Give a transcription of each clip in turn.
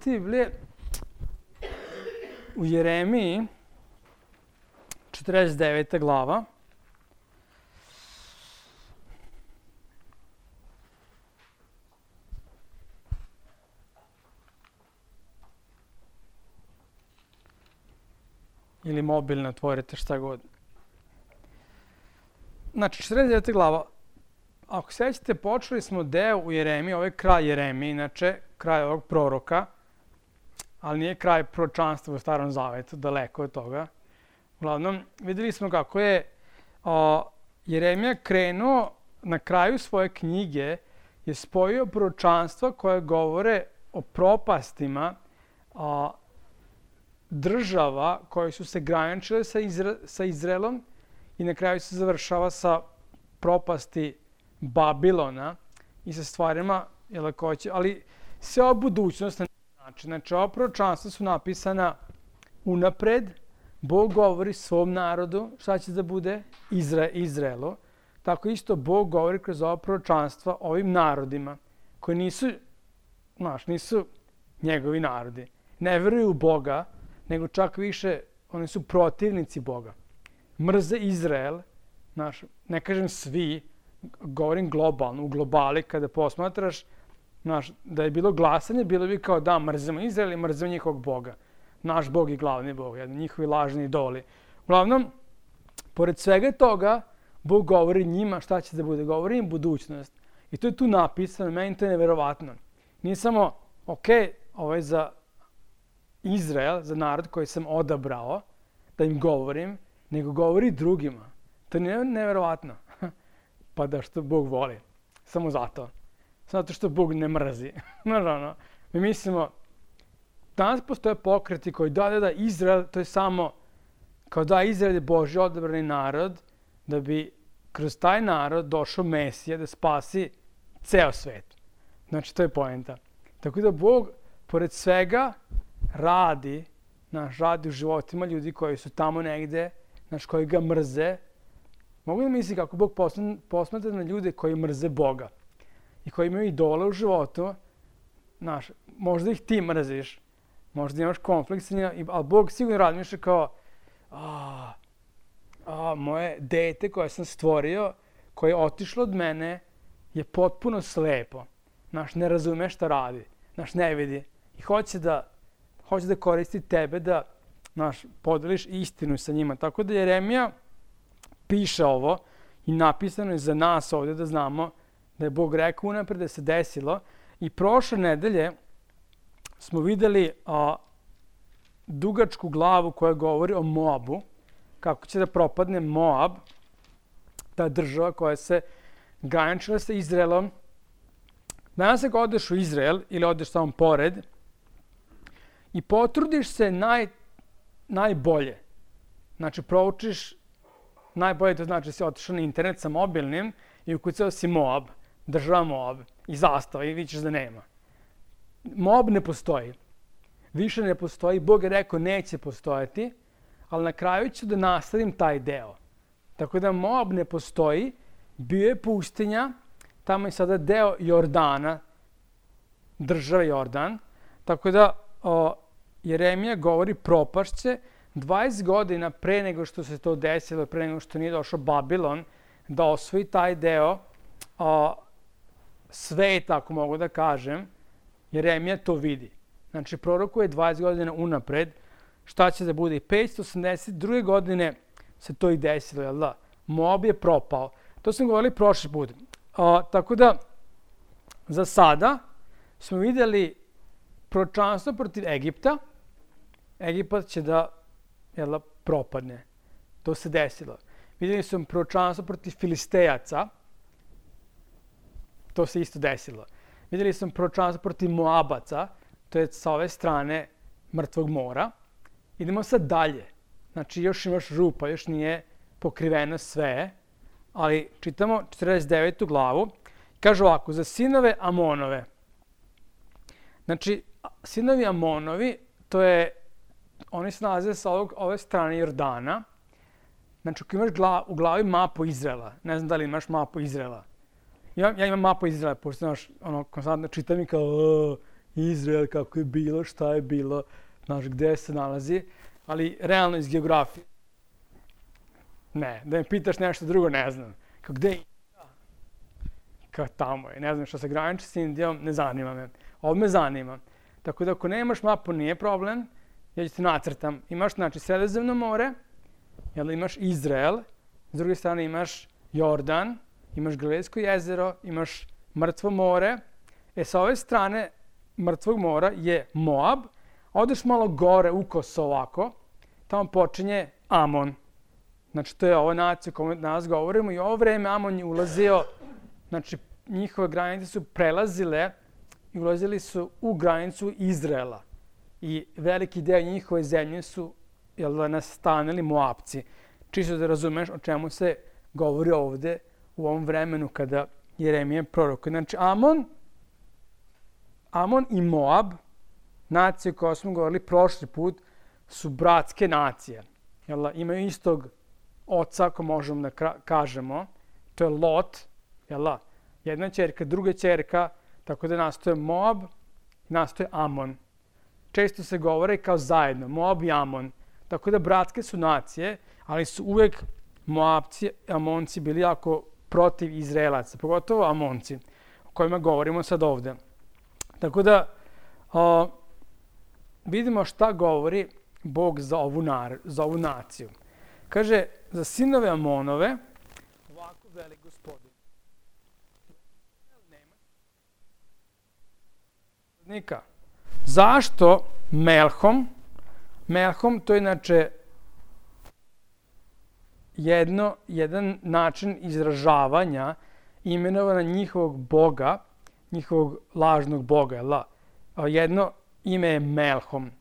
otvoriti Biblije u Jeremiji, 49. glava. Ili mobilno otvorite, šta god. Znači, 49. glava. Ako sećate, počeli smo deo u Jeremiji, ovo je kraj Jeremije, inače, kraj ovog proroka, ali nije kraj proročanstva u Starom Zavetu, daleko od toga. Uglavnom, videli smo kako je Jeremija krenuo na kraju svoje knjige, je spojio proročanstva koje govore o propastima država koje su se graničile sa Izraelom i na kraju se završava sa propasti Babilona i sa stvarima lakoće, ali sve o budućnost na način. Znači, ova proročanstva su napisana unapred, Bog govori svom narodu šta će da bude Izraelu, tako isto Bog govori kroz ova proročanstva ovim narodima koji nisu njegovi narodi. Ne veruju u Boga, nego čak više, oni su protivnici Boga. Mrze Izrael, ne kažem svi, govorim globalno, u globali kada posmatraš, da je bilo glasanje, bilo bi kao da mrzimo Izrael i mrzimo njihovog Boga. Naš Bog je glavni Bog, njihovi lažni idoli. Uglavnom, pored svega toga, Bog govori njima šta će da bude, govori im budućnost. I to je tu napisano, meni to je neverovatno. Nije samo, ovo je za Izrael, za narod koji sam odabrao, da im govorim, nego govori drugima. To je neverovatno. Pa da što Bog voli. Samo zato. Zato što Bog ne mrzi. Mi mislimo, danas postoje pokreti koji da, Izrael, to je samo, kao da Izrael je Božji odabrani narod, da bi kroz taj narod došao Mesija da spasi ceo svet. Znači, to je poenta. Tako da Bog, pored svega, radi u životima ljudi koji su tamo negde, koji ga mrze. Mogu da misli kako Bog posmatra na ljude koji mrze Boga i koji imaju idole u životu. Možda ih ti mrziš, možda imaš konflikt sa njima, ali Bog sigurno razmišlja kao moje dete koje sam stvorio, koje je otišlo od mene, je potpuno slepo. Ne razume šta radi, ne vidi. I hoće da koristi tebe da podeliš istinu sa njima. Tako da Jeremija piše ovo i napisano je za nas ovdje da znamo da je Bog rekao unapred da se desilo. I prošle nedelje smo videli dugačku glavu koja govori o Moabu, kako će da propadne Moab, ta država koja se graničila sa Izraelom. Danas ako odeš u Izrael ili odeš tamo pored i potrudiš se najbolje, znači proučiš najbolje, to znači da si otišao na internet sa mobilnim i ukucao si Moab, država Moab i zastava i vidiš da nema. Moab ne postoji. Više ne postoji. Bog je rekao neće postojati, ali na kraju ću da nastavim taj deo. Tako da Moab ne postoji, bio je pustinja, tamo je sada deo Jordana, država Jordan. Tako da Jeremija govori propašće 20 godina pre nego što se to desilo, pre nego što nije došao Babilon, da osvoji taj deo sveta, ako mogu da kažem, Jeremija to vidi. Znači, prorokuje 20 godina unapred, šta će da bude. I 582. godine se to i desilo, jel da? Moab je propao. To sam govorili prošli put. Tako da, za sada smo vidjeli proročanstvo protiv Egipta. Egipat će da propadne. To se desilo. Vidjeli smo proročanstvo protiv Filistejaca. To se isto desilo. Vidjeli smo proročanstvo protiv Moabaca. To je sa ove strane Mrtvog mora. Idemo sad dalje. Znači, još imaš rupa, još nije pokriveno sve. Ali čitamo 49. glavu. Kaže ovako, za sinove Amonove. Znači, sinovi Amonovi, oni se nalaze sa ove strane Jordana. Znači, ako imaš u glavi mapu Izraela, ne znam da li imaš mapu Izraela. Ja imam mapu Izraela, pošto konstantno čitam i kao, Izrael, kako je bilo, šta je bilo, znaš, gde se nalazi, ali realno iz geografije. Ne, da me pitaš nešto drugo, ne znam. Kao gde je Indija? Kao tamo je, ne znam što se graniči s Indijom, ne zanima me. Ovo me zanima. Tako da ako nemaš mapu, nije problem, ja ću ti nacrtam. Imaš, znači, Sredozemno more, imaš Izrael, s druge strane imaš Jordan, imaš Galilejsko jezero, imaš Mrtvo more. Sa ove strane Mrtvog mora je Moab, a odeš malo gore u Kosovo ovako, tamo počinje Amon. Znači, to je ova nacija o kojoj danas govorimo i ovo vreme Amon je ulazio, znači, njihove granice su prelazile i ulazili su u granicu Izraela. I veliki deo njihove zemlje su nastanili Moabci. Čisto da razumeš o čemu se govori ovde u ovom vremenu kada Jeremija prorokuje. Znači, Amon i Moab, nacije o kojoj smo govorili prošli put, su bratske nacije. Imaju istog oca, ako možemo da kažemo. To je Lot, jedna ćerka, druga ćerka, tako da nastoje Moab, nastoje Amon. Često se govore kao zajedno, Moab i Amon. Tako da bratske su nacije, ali su uvek Moabci, Amonci bili jako protiv Izraelaca, pogotovo Amonci, o kojima govorimo sad ovde. Tako da vidimo šta govori Bog za ovu naciju. Kaže, za sinove Amonove, ovako veli Gospodin. Zašto Melhom? Melhom to je inače jedan način izražavanja imenovana njihovog boga, njihovog lažnog boga. Jedno ime je Melhom.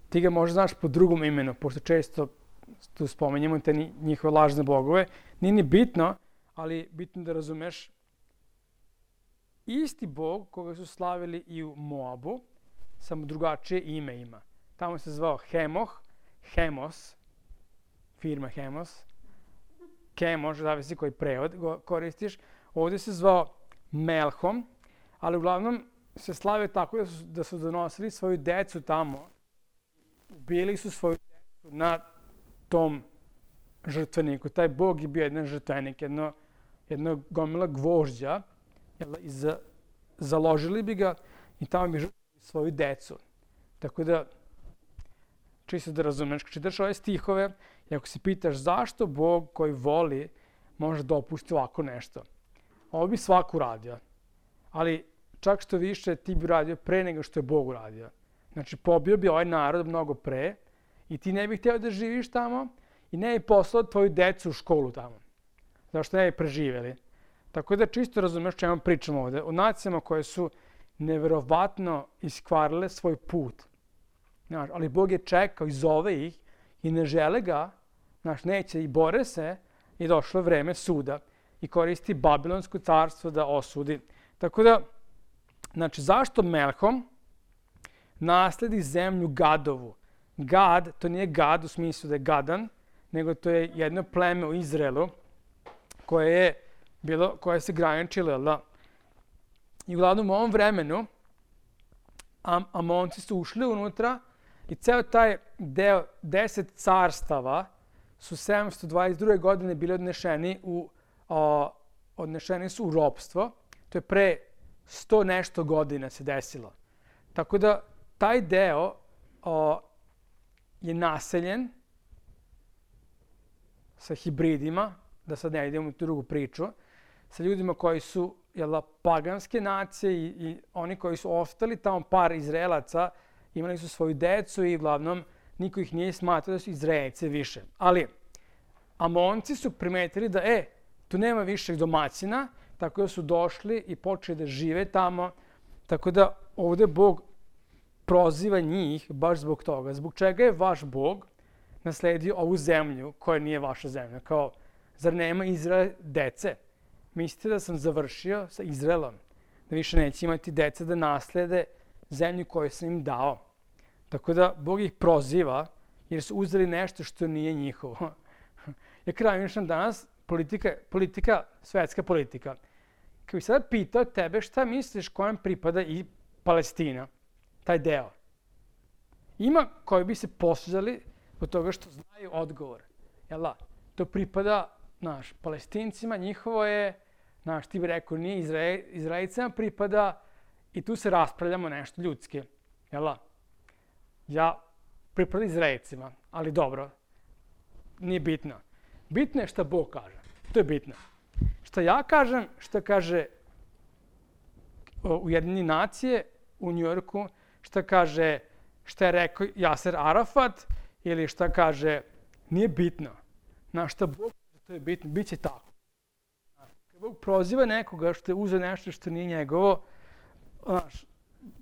Ti ga možda znaš po drugom imenu, pošto često tu spomenjamo te njihove lažne bogove. Nije ni bitno, ali bitno da razumeš. Isti bog koga su slavili i u Moabu, samo drugačije ime ima. Tamo se zvao Hemos, firma Hemos, Kemoš, zavisi koji prevod koristiš. Ovdje se zvao Melhom, ali uglavnom se slavio tako da su donosili svoju decu tamo. Ubili su svoju decu na tom žrtveniku. Taj bog je bio jedan žrtvenik, jedno gomila gvožđa, založili bi ga i tamo bi žrtvovali svoju decu. Tako da, čisto da razumeš, čitaš ove stihove i ako se pitaš zašto Bog koji voli može dopusti ovako nešto. Ovo bi svako uradio, ali čak što više ti bi uradio pre nego što je Bog uradio. Znači, pobio bi ovaj narod mnogo pre i ti ne bi htio da živiš tamo i ne bi poslao tvoju decu u školu tamo. Zašto ne bi preživjeli. Tako da čisto razumeš čemu pričamo ovde. O nacijama koje su neverovatno iskvarile svoj put. Znaš, ali Bog je čekao i zove ih i ne žele ga, znaš, neće i bore se i došlo vreme suda i koristi Babilonsko carstvo da osudi. Tako da, znači, zašto Melhom nasledi zemlju Gadovu? Gad, to nije Gad u smislu da je gadan, nego to je jedno pleme u Izraelu koje se graničilo. I uglavnom u ovom vremenu Amonci su ušli unutra i ceo taj deo 10 carstava su 722. godine bili odnešeni su u ropstvo. To je pre 100 nešto godina se desilo. Tako da taj deo je naseljen sa hibridima, da sad ne idemo u tu drugu priču, sa ljudima koji su paganske nacije i oni koji su ostali tamo, par Izraelaca, imali su svoju decu i uglavnom niko ih nije smatrao da su Izraelci više. Ali Amonci su primetili da tu nema više domaćina, tako da su došli i počeli da žive tamo. Tako da ovde Bog proziva njih baš zbog toga. Zbog čega je vaš Bog nasledio ovu zemlju koja nije vaša zemlja? Kao, zar nema Izrael dece? Mislite da sam završio sa Izraelom? Da više neće imati dece da naslede zemlju koju sam im dao. Tako da Bog ih proziva jer su uzeli nešto što nije njihovo. Ja krajnjišam danas svetska politika. Kad bih sada pitao tebe šta misliš kojem pripada i Palestina, taj deo. Ima koji bi se posuzali od toga što znaju odgovor. Jel da? To pripada, Palestincima, njihovo je, ti bi rekao, nije Izraelicama pripada i tu se raspravljamo nešto ljudski. Jel da? Ja pripada Izraelicima, ali dobro, nije bitno. Bitno je šta Bog kaže. To je bitno. Šta ja kažem, šta kaže Ujedinjene nacije u Njujorku, šta je rekao Jaser Arafat ili šta kaže, nije bitno. Šta Bog kaže, to je bitno, bit će tako. Kad Bog proziva nekoga što je uzeo nešto što nije njegovo,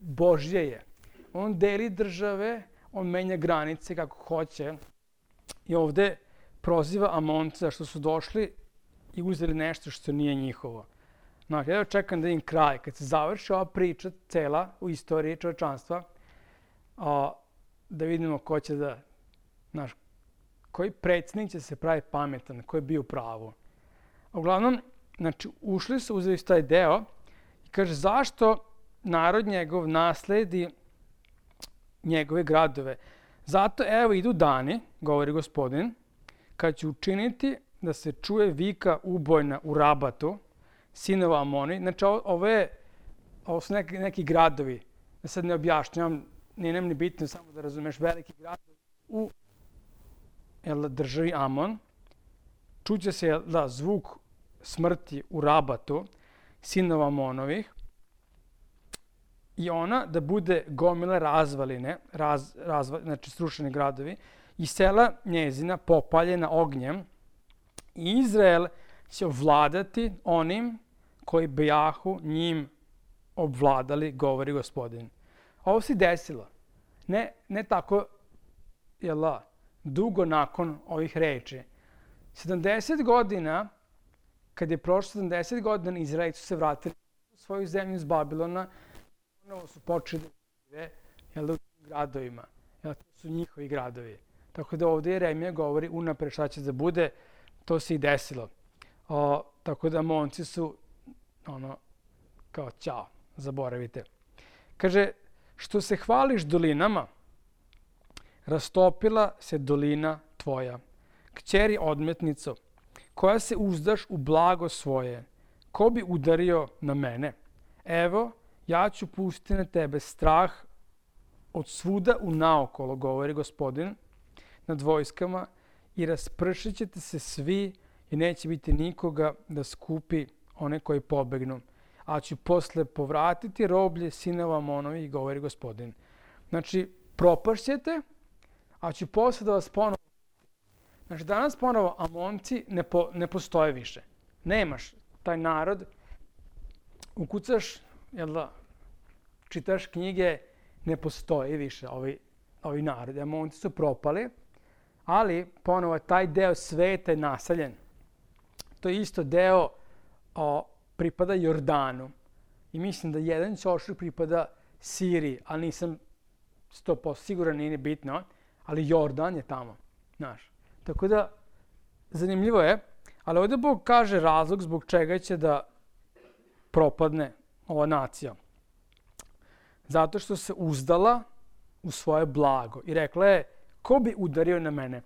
Božje je. On deli države, on menja granice kako hoće i ovde proziva Amonce zašto su došli i uzeli nešto što nije njihovo. Ja čekam da im kraj, kad se završi ova priča cela u istoriji čovečanstva, da vidimo ko će da, koji predsjednik će se pravi pametan, ko je bio u pravu. Uglavnom, ušli su, uzeli su taj deo i kaže zašto narod njegov nasledi njegove gradove. Zato evo idu dani, govori Gospodin, kad ću učiniti da se čuje vika ubojna u Rabatu, sinova Amoni. Ovo su neki gradovi, da sad ne objašnjam, nije nam ni bitno, samo da razumeš, veliki gradovi u državi Amon. Čuće se zvuk smrti u Rabatu, sinova Amonovih, i ona da bude gomila razvaline, znači srušeni gradovi, i sela njezina popaljena ognjem, i Izrael će ovladati onim koji bejahu njim obvladali, govori Gospodin. Ovo se desilo. Ne tako, dugo nakon ovih reči. 70 godina, kad je prošlo 70 godina, Izraelci su se vratili u svoju zemlju iz Babilona, ponovo su počeli da žive u gradovima. To su njihovi gradovi. Tako da ovdje Jeremija govori unapred šta će da bude, to se i desilo. Tako da Amonci su kao ćao, zaboravite. Kaže, što se hvališ dolinama, rastopila se dolina tvoja. Kćeri odmetnico, koja se uzdaš u blago svoje, ko bi udario na mene? Evo, ja ću pustiti na tebe strah od svuda u naokolo, govori Gospodin, nad vojskama, i raspršit ćete se svi i neće biti nikoga da skupi one koji pobegnu. A ću posle povratiti roblje sinova Amonovih, govori Gospodin. Znači, propašćete, a ću posle da vas ponovo... Znači, danas ponovo Amonci ne postoje više. Nemaš taj narod, ukucaš, čitaš knjige, ne postoji više ovi narodi. Amonci su propali, ali ponovo taj deo sveta je naseljen. To je isto deo pripada Jordanu. I mislim da jedan ćošak pripada Siriji, ali nisam 100% siguran, nije bitno, ali Jordan je tamo. Tako da, zanimljivo je, ali ovdje Bog kaže razlog zbog čega će da propadne ova nacija. Zato što se uzdala u svoje blago i rekla je, ko bi udario na mene?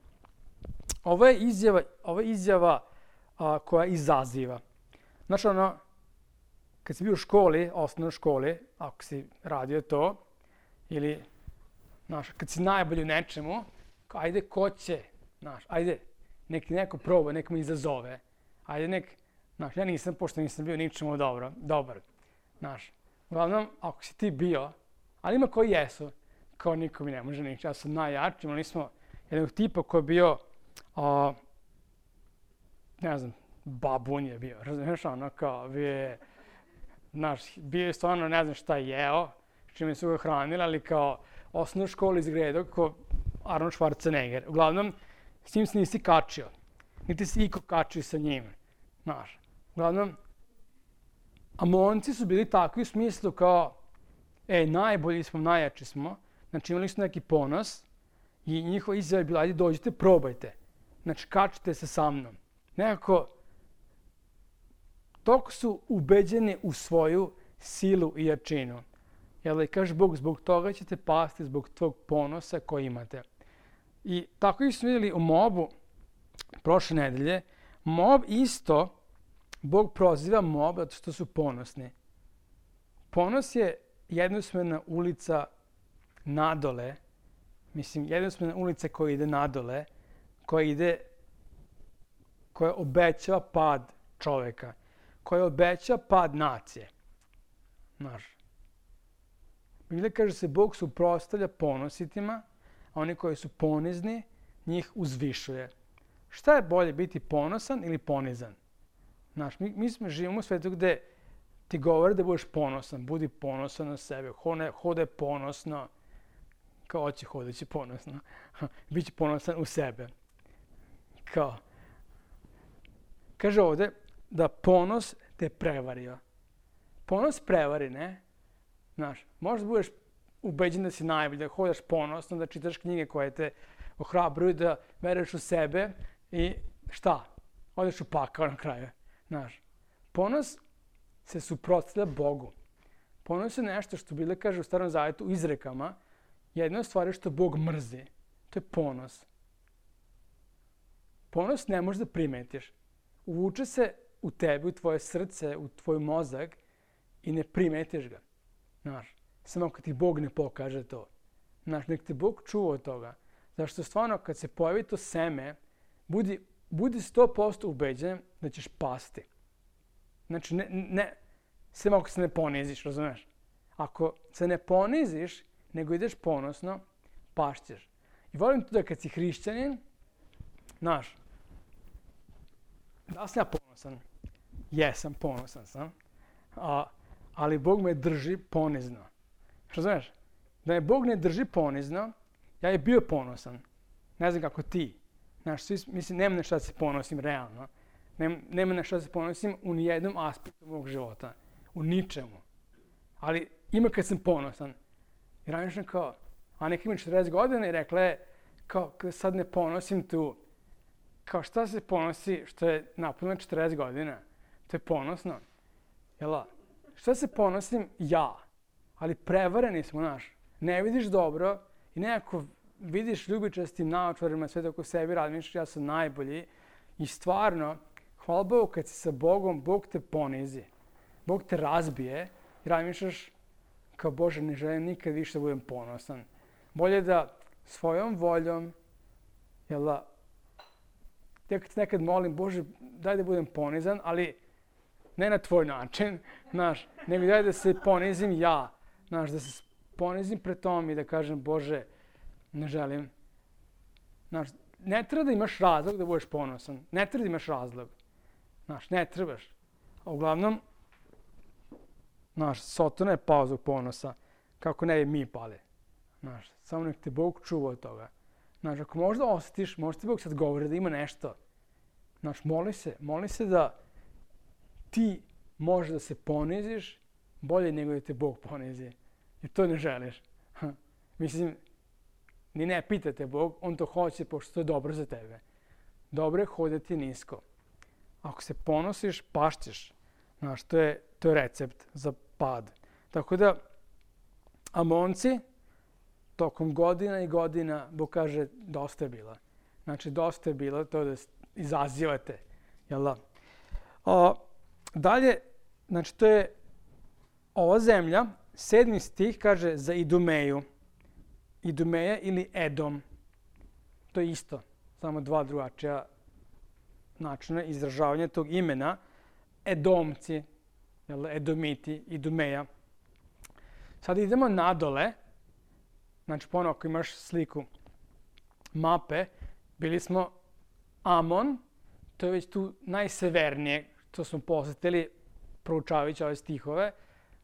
Ovo je izjava koja izaziva. Znači, kad si bio u školi, osnovnoj školi, ako si radio to, ili, kad si najbolji u nečemu, ajde, ko će, ajde, neko proba, neko me izazove, ajde, ja nisam, pošto nisam bio ničemu dobar, uglavnom, ako si ti bio, ali ima koji jesu, kao niko mi ne može ništa, ja sam najjači, imali smo jednog tipa koji je bio, babun je bio, razumiješ, bio je stvarno, ne znam šta je jeo, čime su ga hranili, ali kao osnovnu školu izgledao kao Arnold Schwarzenegger. Uglavnom, s njim se nisi kačio, niti si iko kačio sa njim, Uglavnom, Amonci su bili takvi u smislu kao, najbolji smo, najjači smo, znači imali su neki ponos i njihova izjava je bila, ajde dođite, probajte, znači kačite se sa mnom. Nekako, toliko su ubeđeni u svoju silu i jačinu. Jel, i kaže Bog, zbog toga ćete pasti, zbog tog ponosa koji imate. I tako ih smo vidjeli u Moabu prošle nedelje. Moab isto, Bog proziva Moab zato što su ponosni. Ponos je jednosmjerna ulica nadole, jednosmjerna ulica koja ide nadole, koja obećava pad čoveka, koja obećava pad nacije. Znaš. Biblija kaže se Bog suprotstavlja ponositima, a oni koji su ponizni, njih uzvišuje. Šta je bolje, biti ponosan ili ponizan? Znaš, mi živimo u svijetu gde ti govore da budeš ponosan, budi ponosan na sebe, hodaj ponosno, kao hoće hodajući ponosno, biće ponosan u sebe. Kao, kaže ovdje da ponos te prevario. Ponos prevari, ne? Znaš, možda budeš ubeđen da si najbolji, da hodaš ponosno, da čitaš knjige koje te ohrabruju, da veruješ u sebe i šta? Odeš u pakao na kraju. Znaš, ponos se suprotstavlja Bogu. Ponos je nešto što Biblija kaže u Starom Zavjetu u izrekama. Jedna od stvari što Bog mrzi, to je ponos. Ponos ne možeš da primetiš. Uvuče se u tebi, u tvoje srce, u tvoj mozak i ne primetiš ga. Znaš, samo kad ti Bog ne pokaže to. Znaš, nek te Bog čuva od toga. Zašto stvarno kad se pojavi to seme, budi 100% ubeđen da ćeš pasti. Znači, samo ako se ne poniziš, razumeš? Ako se ne poniziš, nego ideš ponosno, pašćeš. I volim to da kad si hrišćanin, znaš, da sam ja ponosan? Jesam, ponosan sam. Ali Bog me drži ponizno. Razumeš? Da me Bog ne drži ponizno, ja je bio ponosan. Ne znam kako ti. Znaš, mislim, nema na šta se ponosim realno. Nema na šta se ponosim u nijednom aspektu mog života. U ničemu. Ali ima kad sam ponosan. I ranije kao, a neka ima 40 godina i rekla je, kao, kada sad ne ponosim tu, kao šta se ponosi što je napunila 40 godina? To je ponosno. Jela, šta se ponosim? Ja. Ali prevareni smo, znaš. Ne vidiš dobro i nekako vidiš ljubičastim naočarima sve oko sebi, razmišljaš ja sam najbolji. I stvarno, hvala Bogu, kad si sa Bogom, Bog te ponizi. Bog te razbije i razmišljaš kao Bože, ne želim nikad više da budem ponosan. Bolje da svojom voljom, jel da, ja kad nekad molim, Bože, daj da budem ponizan, ali ne na tvoj način, znaš, nego daj da se ponizim ja, znaš, da se ponizim pred tom i da kažem, Bože, ne želim. Znaš, ne treba da imaš razlog da budeš ponosan, ne treba da imaš razlog, znaš, ne trebaš. A uglavnom, znaš, Sotona je pao zbog ponosa, kako ne bi mi pali. Znaš, samo nek te Bog čuva od toga. Znaš, ako možda osjetiš, možda ti Bog sad govori da ima nešto. Znaš, moli se da ti možeš da se poniziš bolje nego da te Bog ponizi. Jer to ne želiš. Mislim, ni ne pita te Bog, on to hoće pošto to je dobro za tebe. Dobro je hodati nisko. Ako se ponosiš, pašćeš. Znaš, to je recept za pad. Tako da, Amonci, tokom godina i godina, Bog kaže, dosta je bila. Znači, dosta je bilo to da izazivate. Jel da? Dalje, znači, to je ova zemlja, 7. stih kaže za Idumeju. Idumeja ili Edom. To je isto, samo dva drugačija načina izražavanja tog imena. Edomci, Edomiti, Idumeja. Sad idemo nadole. Znači, ponovno, ako imaš sliku mape, bili smo Amon, to je već tu najsevernije, što smo posjetili proučavajući ove stihove.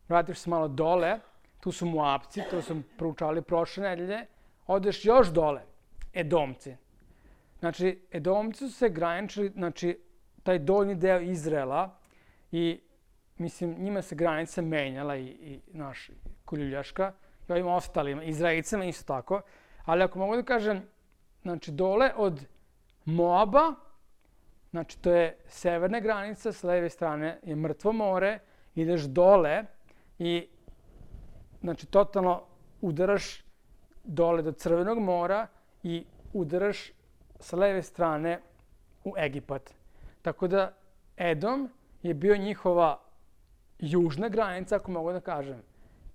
Vratiš se malo dole, tu su Moabci, to smo proučavali prošle nedelje. Odeš još dole, Edomci. Znači, Edomci su se graničili, znači, taj donji deo Izraela i, mislim, njima se granica menjala i naš Koljuljaška i ovim ostalima, Izraelicama isto tako. Ali ako mogu da kažem, znači, dole od Moaba, znači, to je severna granica, s leve strane je Mrtvo more, ideš dole i znači totalno udaraš dole do Crvenog mora i udaraš sa leve strane u Egipat. Tako da Edom je bio njihova južna granica, ako mogu da kažem.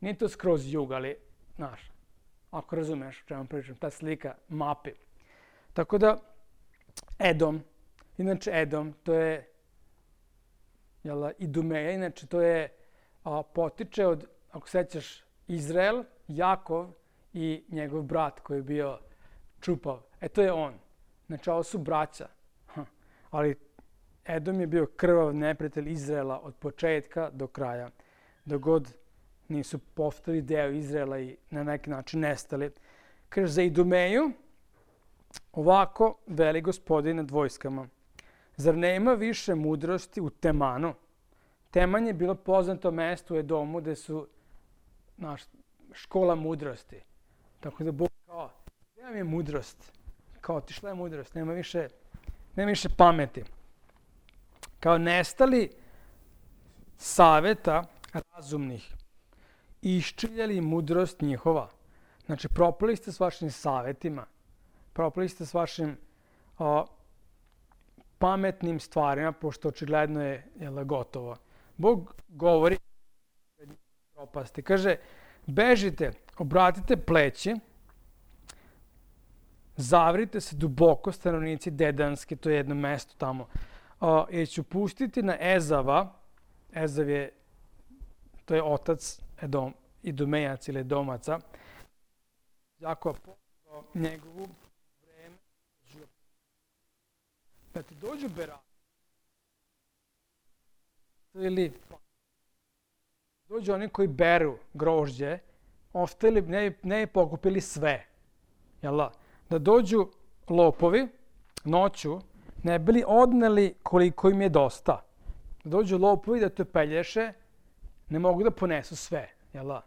Nije to skroz jug, ali, znaš, ako razumeš o čemu pričam, ta slika mape. Tako da, Edom, inače Edom, to je Idumeja, inače to je potiče od, ako sećaš, Izrael, Jakov i njegov brat koji je bio čupav. To je on. Znači, ovo su braća. Ali Edom je bio krvav neprijatelj Izraela od početka do kraja. Dok god nisu postali deo Izraela i na neki način nestali. Kaže, za Idumeju, ovako veli Gospodin nad vojskama. Zar nema više mudrosti u Temanu? Teman je bilo poznato mesto u Edomu gde su škola mudrosti. Tako da Bog kao, gdje nam je mudrost? Kao otišla je mudrost, nema više pameti. Kao nestali saveta razumnih i iščiljali mudrost njihova. Znači, propali ste s vašim savetima, propali ste s vašim pametnim stvarima, pošto očigledno je gotovo. Bog govori propasti. Kaže, bežite, obratite pleći, zavrite se duboko, stanovnici Dedanske, to je jedno mesto tamo, jer ću pustiti na Ezava, Ezav je, to je otac Idumejac ili Edomaca, Jakova poslao njegovu vreme, da ti dođu berati, ili dođu oni koji beru grožđe, ostali, ne bi pokupili sve, jel da? Da dođu lopovi noću, ne bi li odneli koliko im je dosta. Da dođu lopovi da te pelješe, ne mogu da ponesu sve, jel da?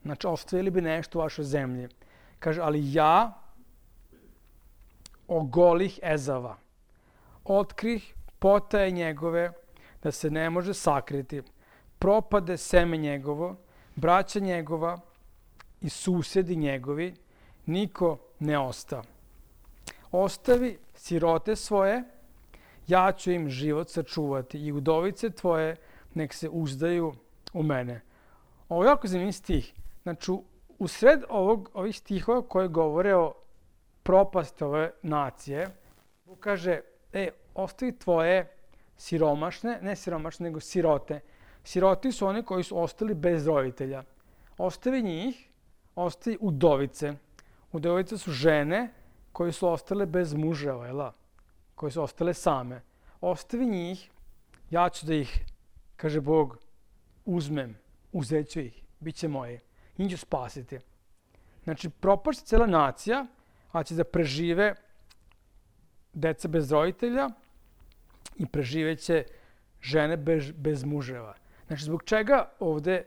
Znači, ostavili bi nešto u vašoj zemlji. Kaže, ali ja ogolih Ezava, otkrih potaje njegove, da se ne može sakriti. Propade seme njegovo, braća njegova i susjedi njegovi, niko ne osta. Ostavi sirote svoje, ja ću im život sačuvati i udovice tvoje nek se uzdaju u mene. Ovo je jako zanimljiv stih. Znači, u sred ovih stihova koje govore o propasti ove nacije, Bog kaže, ostavi tvoje siromašne, ne siromašne, nego sirote. Siroti su oni koji su ostali bez roditelja. Ostavi njih, ostavi udovice. Udovice su žene koje su ostale bez muževa, koje su ostale same. Ostavi njih, ja ću da ih, kaže Bog, uzmem, uzet ću ih, bit će moji. Njih ću spasiti. Znači, propašće cijela nacija, a će da prežive deca bez roditelja i preživeće žene bez muževa. Znači, zbog čega ovde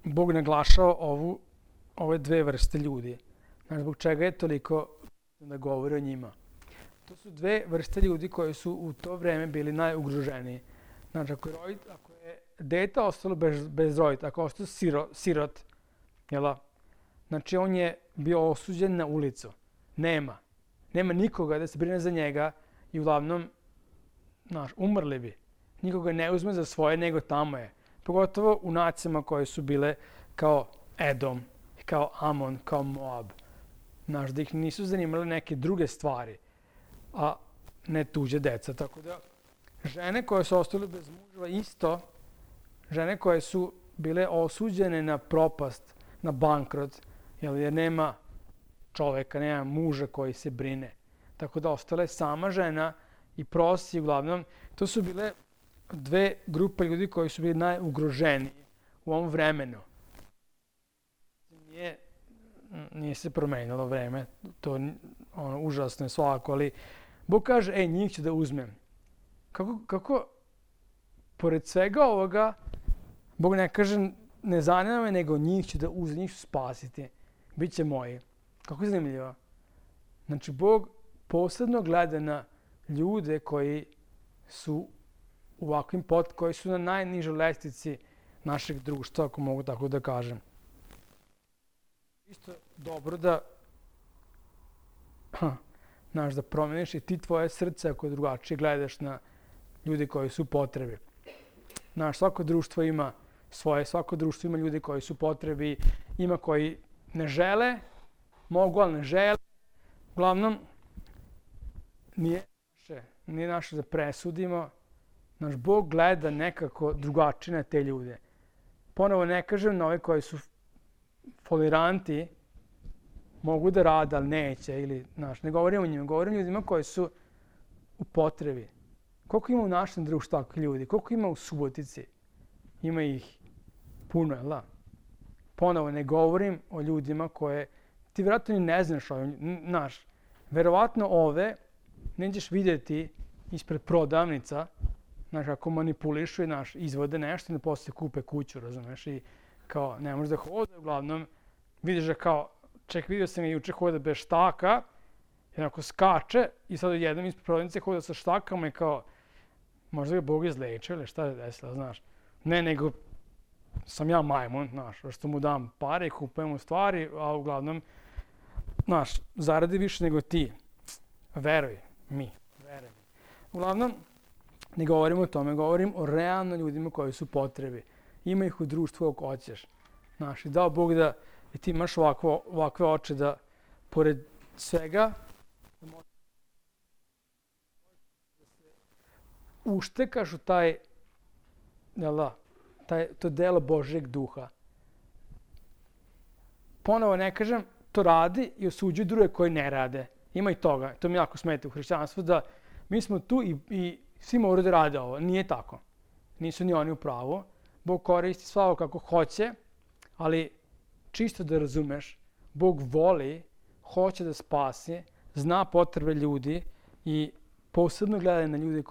Bog naglašava ove dve vrste ljudi? Znači, zbog čega je toliko da govori o njima? To su dve vrste ljudi koji su u to vreme bili najugroženiji. Znači, ako je dete ostalo bez roditelja, ako je ostao sirot, znači on je bio osuđen na ulicu. Nema nikoga da se brine za njega i uglavnom, umrli bi. Nikoga ne uzme za svoje, nego tamo je. Pogotovo u nacijama koje su bile kao Edom, kao Amon, kao Moab. Da ih nisu zanimale neke druge stvari, a ne tuđe deca. Tako da, žene koje su ostale bez muževa isto, žene koje su bile osuđene na propast, na bankrot, jer nema čoveka, nema muža koji se brine. Tako da ostala je sama žena i prosi, uglavnom, to su bile dve grupe ljudi koji su bili najugroženiji u ovom vremenu. Nije se promenilo vreme, to užasno je svako, ali Bog kaže, njih ću da uzmem. Kako, pored svega ovoga, Bog ne kaže, ne zanima me, nego njih ću da uzmem, njih ću spasiti, bit će moji. Kako je zanimljivo? Znači, Bog posebno gleda na ljude koji su u ovakvim koji su na najnižoj lestvici našeg društva, ako mogu tako da kažem. isto dobro da da promeniš i ti tvoje srce ako drugačije gledaš na ljude koji su u potrebi. Svako društvo ima svako društvo ima ljude koji su u potrebi, ima koji ne žele, mogu, ali ne žele. Uglavnom, nije naše da presudimo. Naš Bog gleda nekako drugačije na te ljude. Ponovo ne kažem na ove koji su foliranti, mogu da rade, ali neće. Ne govorim o njima, govorim o ljudima koji su u potrebi. Koliko ima u našem društvu takvih ljudi? Koliko ima u Subotici? Ima ih puno, jel da? Ponovo ne govorim o ljudima koje ti vjerojatno ni ne znaš verovatno ove nećeš vidjeti ispred prodavnica, kako manipulišu i izvode nešto i poslije kupe kuću, razumeš? I kao ne može da hode, uglavnom vidiš da kao, vidio sam ga juče hoda bez štaka, jednako skače i sad odjednom ispred prodavnice hoda sa štakama i kao, možda ga Bog izlečio ili šta je desilo, znaš? Ne, nego sam ja majmun, što mu dam pare i kupujem mu stvari, a uglavnom, zaradi više nego ti. Veruj mi. Uglavnom, ne govorim o tome, govorim o realno ljudima koji su potrebi. Ima ih u društvu ako hoćeš. I dao Bog da ti imaš ovakve oči da, pored svega, da možeš da se uštekaš u to delo Božjeg duha. Ponovo ne kažem, to radi i osuđuju druge koji ne rade. Ima i toga. To mi jako smeta u hrišćanstvu da mi smo tu i svi moraju da rade ovo. Nije tako. Nisu ni oni u pravu. Bog koristi svako kako hoće, ali čisto da razumeš, Bog voli, hoće da spasi, zna potrebe ljudi i posebno gleda na ljude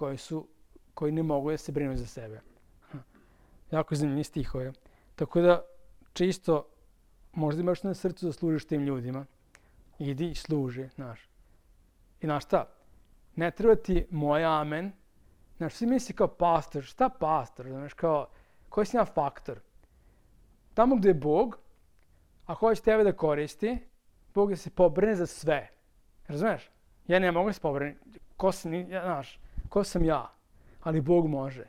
koji ne mogu da se brinu za sebe. Jako zanimljivi stihove. Tako da čisto možda imaš na srcu da služiš tim ljudima. Idi i služi, I šta? Ne treba ti moj amen. Svi misli kao pastor. Šta pastor? Koji si ja faktor? Tamo gde je Bog, a hoće tebe da koristi, Bog da se pobrine za sve. Razumeš? Ja ne mogu da se pobrine. Ko sam ja? Ali Bog može.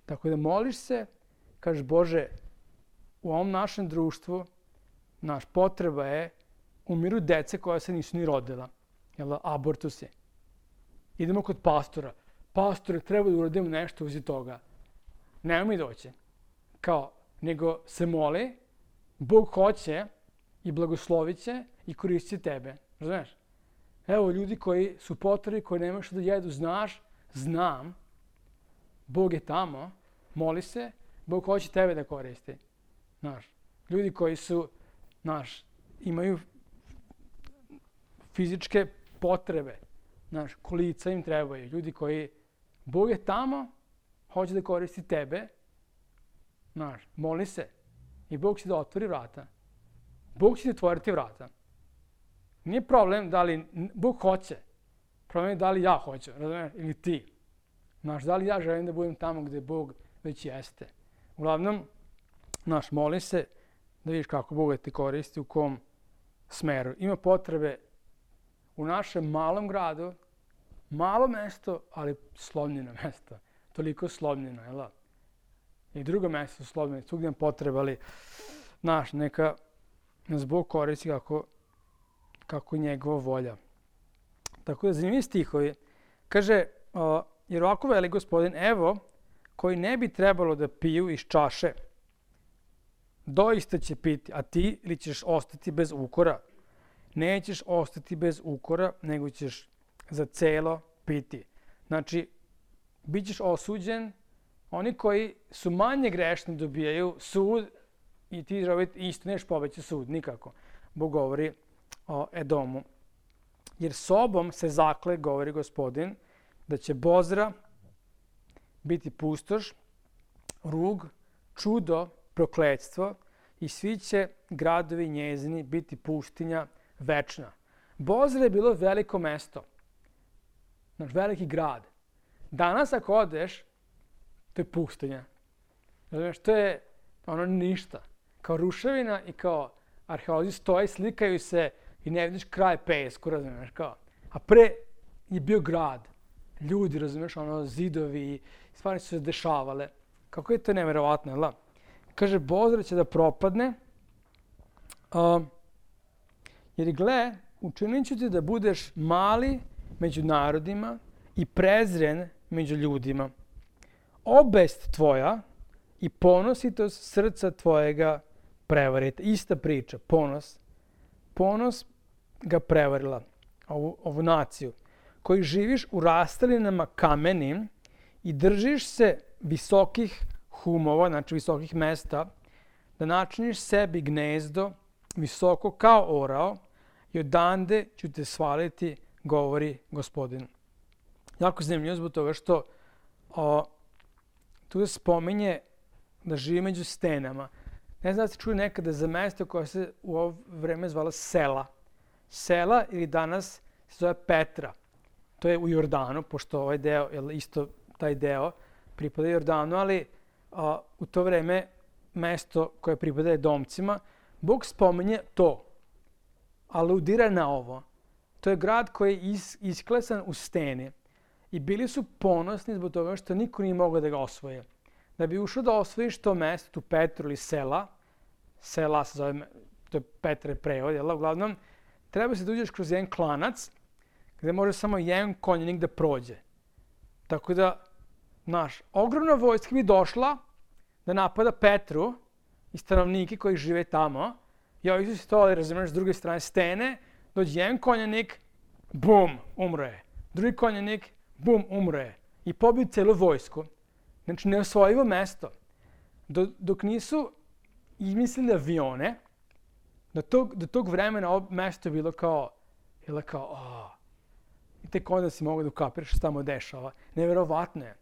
Tako da moliš se, kažeš Bože, u ovom našem društvu, potreba je, umiru dece koja se nisu ni rodila. Abortusi. Idemo kod pastora. Pastore, treba da uradimo nešto uzi toga. Nema mi doći. Nego se moli, Bog hoće i blagoslovit će i koristit tebe. Razumeš? Evo ljudi koji su potrebi, koji nemaju što da jedu, znam, Bog je tamo, moli se, Bog hoće tebe da koristi. Ljudi koji su, imaju fizičke potrebe, kolica im trebaju. Ljudi koji, Bog je tamo, hoće da koristi tebe, moli se i Bog će da otvori vrata. Bog će da otvoriti vrata. Nije problem da li Bog hoće, problem je da li ja hoću, razumiješ, ili ti. Da li ja želim da budem tamo gde Bog već jeste. Uglavnom, moli se da vidiš kako Bog te koristi, u kom smeru. Ima potrebe u našem malom gradu, malo mesto, ali slomljeno mesto. Toliko slomljeno, jel da? I drugo mesto slomljeno, svugdje nam potreba, ali neka nas Bog koristi kako je njegova volja. Tako da zanimljivi stihovi. Kaže, jer ovako veli Gospodin, evo, koji ne bi trebalo da piju iz čaše, doista će piti, a ti ili ćeš ostati bez ukora? Nećeš ostati bez ukora, nego ćeš za celo piti. Znači, bit ćeš osuđen, oni koji su manje grešni dobijaju sud i ti isto neš pobeći sud, nikako. Bog govori o Edomu. Jer sobom se zakle, govori Gospodin, da će Bozra biti pustoš, rug, čudo, prokletstvo i svi će gradovi njezini biti pustinja večna. Bozra je bilo veliko mesto, veliki grad. Danas ako odeš, to je pustinja. Znači, to je ništa. Kao ruševina i kao arheolozi stoje, slikaju se i ne vidiš kraj pesku, razumiješ kao. A pre je bio grad, ljudi, razumiješ, ono, zidovi, stvari su se dešavale. Kako je to neverovatno, jel da? Kaže, Bozra će da propadne, jer gle, učinit ću ti da budeš mali među narodima i prezren među ljudima. Obest tvoja i ponositost srca tvojega prevarite. Ista priča, ponos. Ponos ga prevarila, ovu naciju, koji živiš u rastalinama kamenim i držiš se visokih humova, znači visokih mesta, da načiniš sebi gnezdo visoko kao orao i odande ću te svaliti, govori Gospodin. Jako zanimljivo zbog toga što tu se spominje da živi među stenama. Ne znam da ste čuli nekada za mesto koje se u ovo vreme zvala Sela. Sela ili danas se zove Petra. To je u Jordanu, pošto ovaj deo, isto taj deo pripada Jordanu, ali u to vreme mesto koje pripada Edomcima, Bog spominje to, aludira na ovo. To je grad koji je isklesan u steni i bili su ponosni zbog toga što niko nije mogao da ga osvoje. Da bi ušao da osvojiš to mesto, tu Petru ili Sela se zove, to je Petre prevod, jel? Uglavnom, treba se da uđeš kroz jedan klanac gde može samo jedan konjenik da prođe. Tako da, znaš, ogromna vojska bi došla da napada Petru i stanovnike koji žive tamo i ovi su stojali, razumiješ, s druge strane stene, dođe jedan konjenik, bum, umro je. Drugi konjenik, bum, umro je. I pobiju celu vojsku. Znači, neosvojivo mesto. Dok nisu izmislili avione, do tog vremena ovo mesto je bilo kao, i tek onda si mogu da ukapiraš što se tamo dešava. Neverovatno je.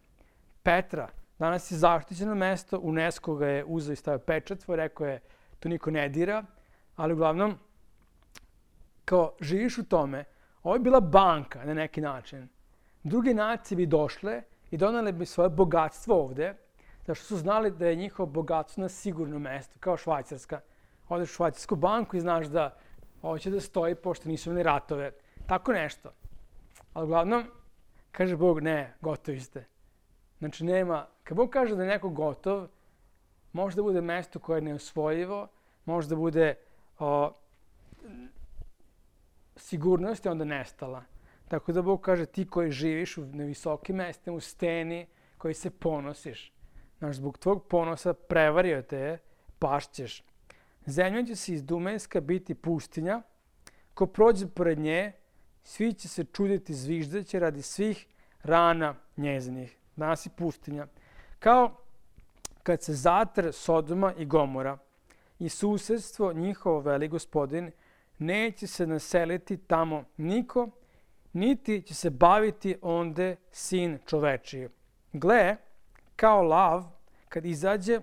Petra, danas je zaštićeno mesto, UNESCO ga je uzeo i stavio pečat, rekao je, to niko ne dira, ali uglavnom, kao živiš u tome, ovo je bila banka na neki način. Druge nacije bi došle i donale bi svoje bogatstvo ovde, zašto su znali da je njihovo bogatstvo na sigurno mesto, kao Švajcarska. Odeš u švajcarsku banku i znaš da ovo će da stoji pošto nisu imali ratove. Tako nešto. Ali uglavnom, kaže Bog, ne, gotovi ste. Znači nema, kad Bog kaže da je neko gotov, može da bude mesto koje je neosvojivo, može da bude sigurnost je onda nestala. Tako da Bog kaže ti koji živiš na visokim mestima, u steni, koji se ponosiš. Znaš, zbog tvog ponosa prevario te je, pašćeš. Zemlja će se iz Dumenska biti pustinja, ko prođe pored nje, svi će se čuditi, zviždaće radi svih rana njezinih. Danas je pustinja. Kao kad se zatre Sodoma i Gomora i susedstvo njihovo veli Gospodin, neće se naseliti tamo niko, niti će se baviti onde sin čovečiji. Gle, kao lav, kad izađe,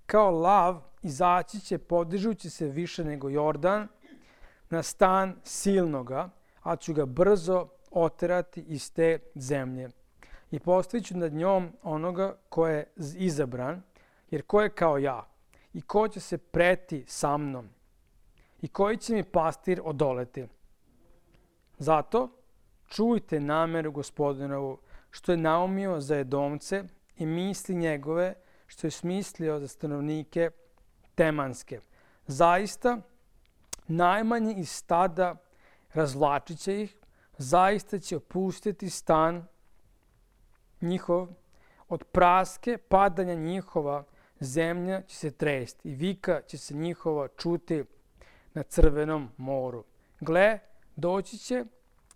kao lav izaći će, podižući se više nego Jordan, na stan silnoga, a ću ga brzo oterati iz te zemlje. I postavit ću nad njom onoga ko je izabran, jer ko je kao ja, i ko će se preti sa mnom, i koji će mi pastir odoleti. Zato čujte nameru Gospodinovu, što je naumio za Edomce i misli njegove, što je smislio za stanovnike Temanske. Zaista, najmanji iz stada razvlačit će ih, zaista će opustiti stan njihov, od praske padanja njihova zemlja će se tresti i vika će se njihova čuti na Crvenom moru. Gle, doći će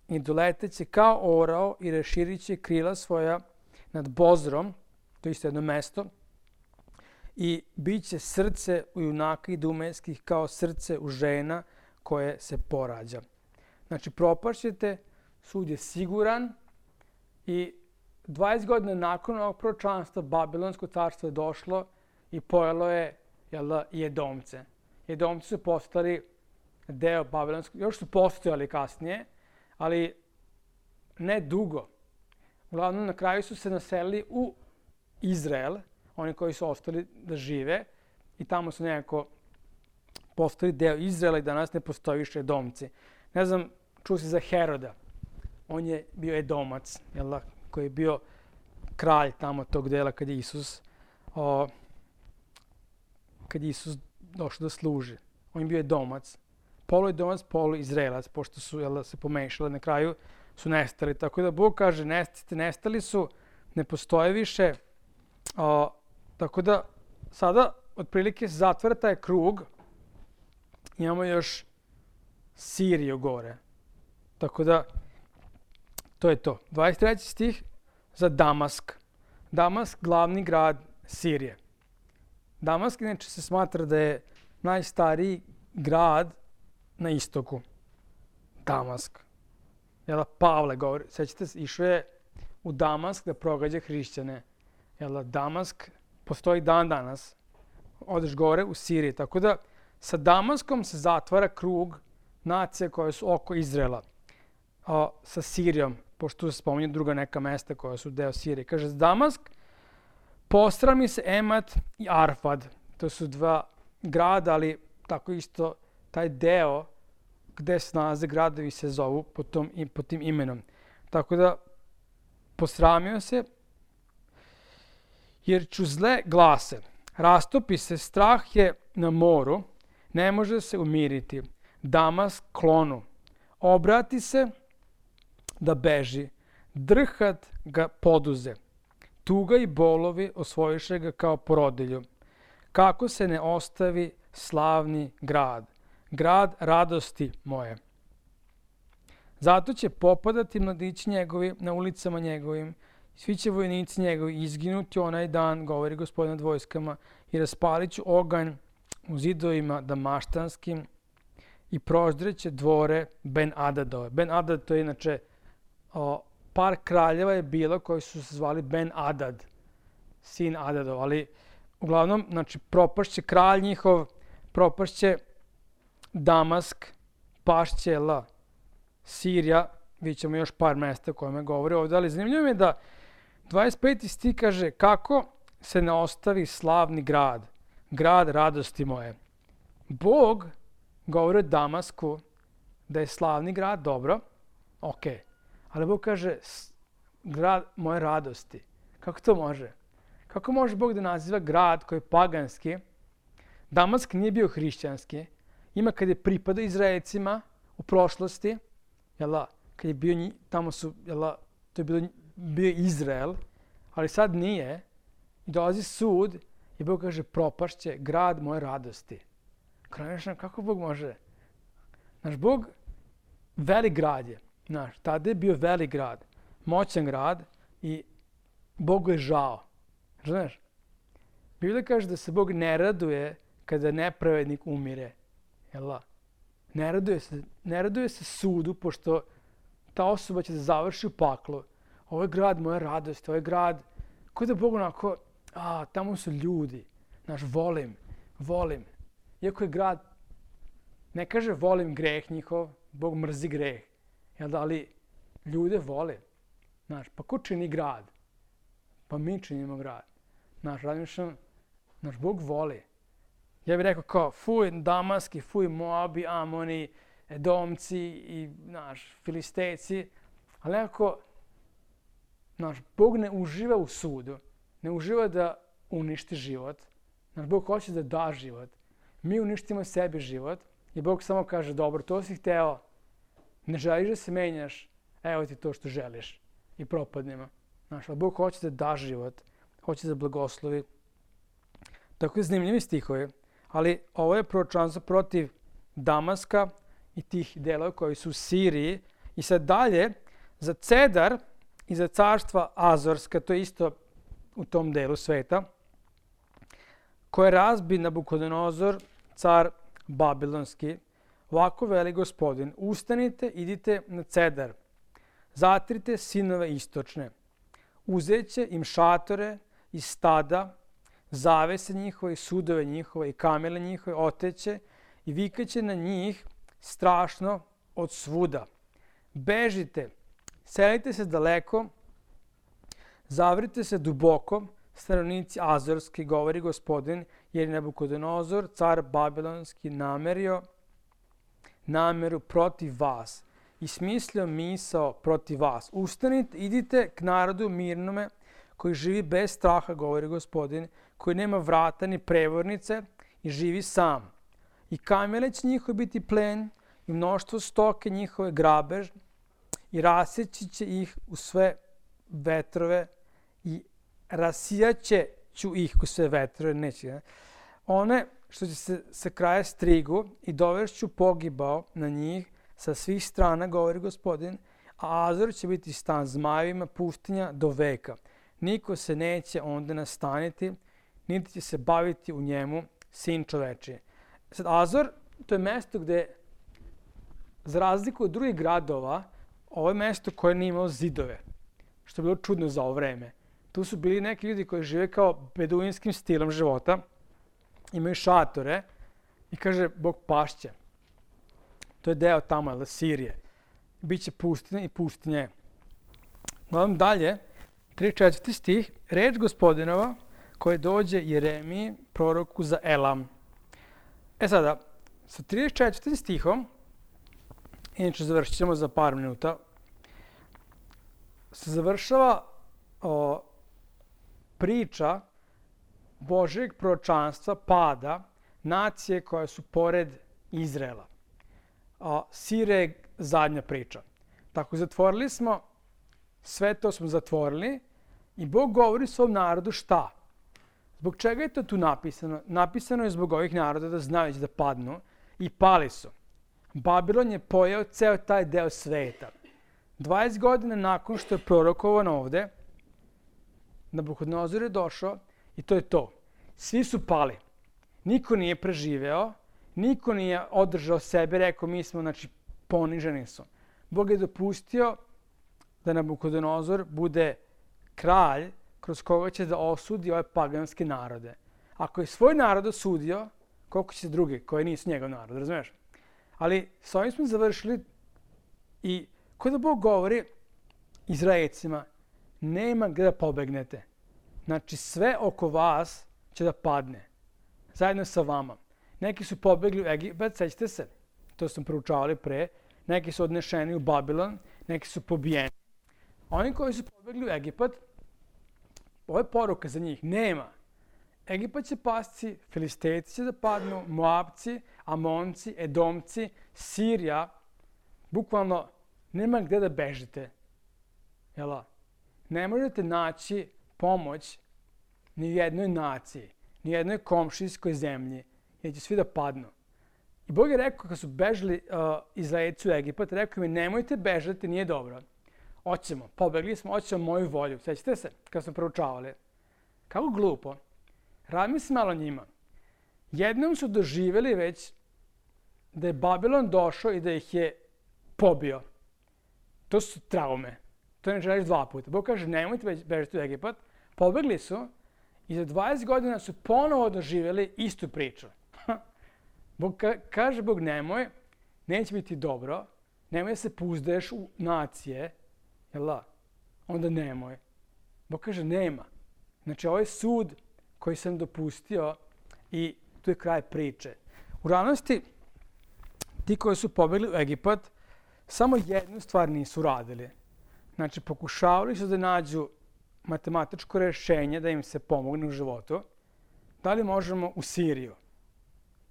i doleteće kao orao i raširit će krila svoja nad Bozrom, to je isto jedno mesto, i bit će srce u junaka idumenskih kao srce u žena koje se porađa. Znači, propašćete, sud je siguran i 20 godina nakon ovog proročanstva Babilonsko carstvo je došlo i pojelo je i Edomce. Edomci su postali deo Babilonskog, još su postojali kasnije, ali ne dugo. Uglavnom, na kraju su se naselili u Izrael, oni koji su ostali da žive, i tamo su nekako postali deo Izraela i danas ne postoji više Edomci. Ne znam, čuo si za Heroda. On je bio Edomac, koji je bio kralj tamo tog dela kad je Isus došao da služi. On je bio Edomac. Polu Edomac, polu Izraelac, pošto su se pomešali, na kraju su nestali. Tako da Bog kaže, nestali su, ne postoje više. Tako da sada otprilike se zatvara taj krug. Imamo još Siriju gore. Tako da, to je to. 23. stih za Damask. Damask, glavni grad Sirije. Damask inače se smatra da je najstariji grad na istoku. Damask. Pavle govori, sećate se, išao je u Damask da progađa hrišćane. Damask postoji dan danas. Odeš gore u Siriji. Tako da sa Damaskom se zatvara krug nacije koje su oko Izraela. Sa Sirijom, pošto se spominje druga neka mesta koja su deo Sirije. Kaže, Damask, posrami se Emat i Arfad. To su dva grada, ali tako isto taj deo gde se nalaze gradovi se zovu pod tim imenom. Tako da posramio se, jer ću zle glase. Rastopi se, strah je na moru, ne može se umiriti. Damask klonu. Obrati se da beži. Drhat ga poduze. Tuga i bolovi osvojiše ga kao porodilju. Kako se ne ostavi slavni grad. Grad radosti moje. Zato će popadati mladići njegovi na ulicama njegovim. Svi će vojnici njegovi izginuti onaj dan, govori Gospodin nad vojskama, i raspalit ću oganj u zidovima damaštanskim i proždreće dvore Ben-Adadove. Ben-Adad to je inače par kraljeva je bilo koji su se zvali Ben-Adad, sin Adadov, ali uglavnom, znači, propašće kralj njihov, propašće Damask, pašće Sirija, vidjet ćemo još par mesta koje me govori ovdje, ali zanimljivo je da 25. stih kaže kako se ne ostavi slavni grad, grad radosti moje. Bog govori o Damasku da je slavni grad, dobro, ok, ali Bog kaže grad moje radosti. Kako to može? Kako može Bog da naziva grad koji je paganski? Damask nije bio hrišćanski. Ima kad je pripadao Izraelcima u prošlosti, kad je bio tamo su, to je bio Izrael, ali sad nije. I dolazi sud i Bog kaže propašće grad moje radosti. Kako Bog može? Naš Bog, velik grad je. Tada je bio velik grad, moćan grad i Bogu je žao. Znaš? Biblia kaže da se Bog ne raduje kada nepravednik umire. Ne raduje se sudu, pošto ta osoba će da završi u paklu. Ovo je grad moje radosti, ovo je grad koji da Bog onako, tamo su ljudi. Znaš, volim. Iako je grad, ne kaže volim greh njihov, Bog mrzi greh. Ali ljude vole. Znaš, pa ko čini grad? Pa mi činimo grad. Znaš, naš Bog voli. Ja bih rekao kao, fuj Damaski, fuj Moabi, Amoni, Edomci i Filistejci. Ali nekako, Bog ne uživa u sudu. Ne uživa da uništi život. Bog hoće da da život. Mi uništimo sebi život i Bog samo kaže, dobro, to si hteo, ne želiš da se menjaš, evo ti to što želiš i propadnemo. Ali Bog hoće da da život, hoće da blagoslovi. Tako je zanimljivi stihovi, ali ovo je proročanstvo protiv Damaska i tih delova koji su u Siriji. I sad dalje, za Cedar i za carstva Azorska, to je isto u tom delu sveta, koje razbi Nabukodonozor, car Babilonski, ovako veli Gospodin, ustanite, idite na Cedar, zatrite sinove istočne, uzeće im šatore i stada, zavese njihove, sudove njihove i kamele njihove, oteće i vikaće na njih strašno od svuda. Bežite, selite se daleko, zavrite se duboko, stanovnici Azorski, govori Gospodin, jer je Nabukodonozor, car Babilonski, nameru protiv vas i smislio misao protiv vas. Ustanite, idite k narodu mirnome, koji živi bez straha, govori Gospodin, koji nema vrata ni prevornice i živi sam. I kamele će njihove biti plen i mnoštvo stoke njihove grabež i raseći će ih u sve vetrove i rasijaće ću ih u sve vetrove, neće. One što će se sa kraja strigu i dovešću pogibao na njih sa svih strana, govori Gospodin, a Azor će biti stan zmajevima, pustinja do veka. Niko se neće onda nastaniti, niti će se baviti u njemu sin čovečiji. Sad, Azor, to je mesto gde, za razliku od drugih gradova, ovo je mesto koje nije imalo zidove, što je bilo čudno za ovo vreme. Tu su bili neki ljudi koji žive kao beduinskim stilom života, imaju šatore i kaže Bog pašće. To je deo tamo, Sirije. Biće pustinja i pustinje. Gledam dalje, 34. stih, reč Gospodinova koje dođe Jeremiji, proroku za Elam. Sada, sa 34. stihom, inače završit ćemo za par minuta, se završava priča Božjeg proročanstva pada nacije koje su pored Izraela. Sirija je zadnja priča. Tako, zatvorili smo, sve to smo zatvorili i Bog govori svom narodu šta? Zbog čega je to tu napisano? Napisano je zbog ovih naroda da znaju da padnu i pali su. Babilon je pojeo ceo taj deo sveta. 20 godina nakon što je prorokovan ovde, Nabukodonozor je došao i to je to. Svi su pali. Niko nije preživeo, niko nije održao sebe, rekao mi smo, znači, poniženi su. Bog je dopustio da Nabukodonozor bude kralj kroz koga će da osudi ove paganske narode. Ako je svoj narod osudio, koliko će drugi koji nisu njegov narod, razumiješ? Ali s ovim smo završili i kada Bog govori Izraelcima, nema gde da pobegnete. Znači sve oko vas će da padne, zajedno sa vama. Neki su pobegli u Egipat, sećate se, to smo proučavali pre, neki su odnešeni u Babilon, neki su pobijeni. Oni koji su pobegli u Egipat, ovo je poruka za njih, nema. Egipat će pasti, Filistejci će da padnu, Moabci, Amonci, Edomci, Sirija, bukvalno nema gde da bežite. Jel? Ne možete naći pomoć ni u jednoj naciji, ni u jednoj komšijskoj zemlji, jer će svi da padnu. I Bog je rekao, kad su bežali Izraelci u Egipat, rekao mi, nemojte bežati, nije dobro. Hoćemo, pobegli smo, hoćemo moju volju. Sećate se, kad smo proučavali. Kako glupo. Razmisli malo njima. Jednom su doživjeli već da je Babilon došao i da ih je pobio. To su traume. To ne želiš dva puta. Bog kaže, nemojte bežati u Egipat. Pobegli su i za 20 godina su ponovo doživjeli istu priču. Kaže Bog, nemoj, neće biti dobro, nemoj da se pouzdaješ u nacije, jel' onda nemoj. Bog kaže, nema. Znači, ovo je sud koji sam dopustio i tu je kraj priče. U realnosti, ti koji su pobegli u Egipat, samo jednu stvar nisu radili. Znači, pokušavali su da nađu matematičko rješenje da im se pomogne u životu. Da li možemo u Siriju?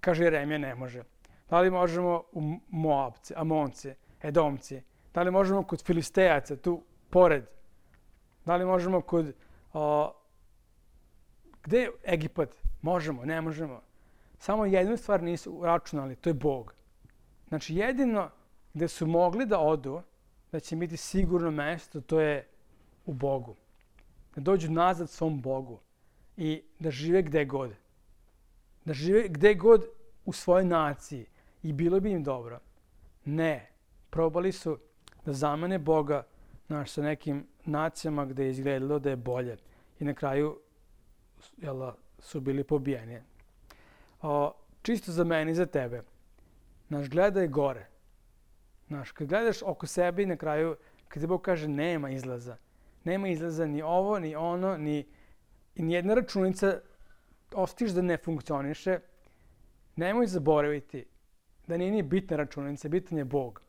Kaže Jeremija, ne može. Da li možemo u Moabci, Amonci, Edomci? Da li možemo kod Filistejaca, tu pored? Da li možemo kod... Gde je Egipat? Možemo, ne možemo. Samo jednu stvar nisu računali, to je Bog. Znači, jedino gde su mogli da odu, da će biti sigurno mesto, to je u Bogu. Da dođu nazad svom Bogu i da žive gde god. Da žive gde god u svojoj naciji i bilo bi im dobro. Ne. Probali su da zamene Boga sa nekim nacijama gde je izgledalo da je bolje. I na kraju su bili pobijeni. Čisto za mene i za tebe. Gledaj gore. Kad gledaš oko sebe i na kraju, kad ti Bog kaže nema izlaza. Nema izlaza ni ovo, ni ono, ni i nijedna računica osjetiš da ne funkcioniše, nemoj zaboraviti da nije ni bitna računica, bitan je Bog.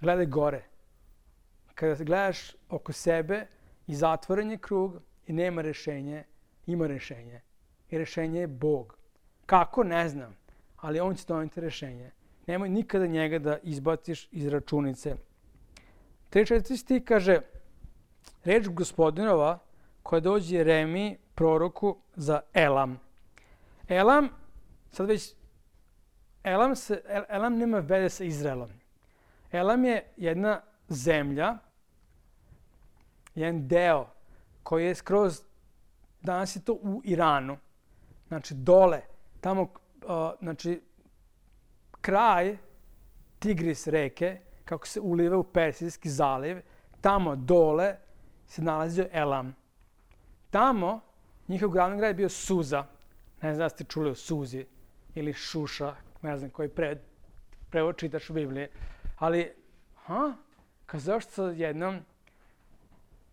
Gledaj gore. Kada gledaš oko sebe i zatvoren je krug i nema rešenje, ima rešenje. I rešenje je Bog. Kako? Ne znam. Ali on će doneti rešenje. Nemoj nikada njega da izbaciš iz računice. 3.4 stih kaže, reč Gospodinova koja dođe Jeremiji, proroku za Elam. Elam, sad već, Elam nema veze sa Izraelom. Elam je jedna zemlja, jedan deo koji je skroz, danas je to u Iranu, znači dole, tamo, znači kraj Tigris reke, kako se uliva u Persijski zaliv, tamo dole se nalazio Elam. Tamo njihov glavni grad je bio Suza. Ne znam da ste čuli o Suzi ili Šuša, ne znam koji prevod čitaš u Bibliji. Ali, kazao što jednom,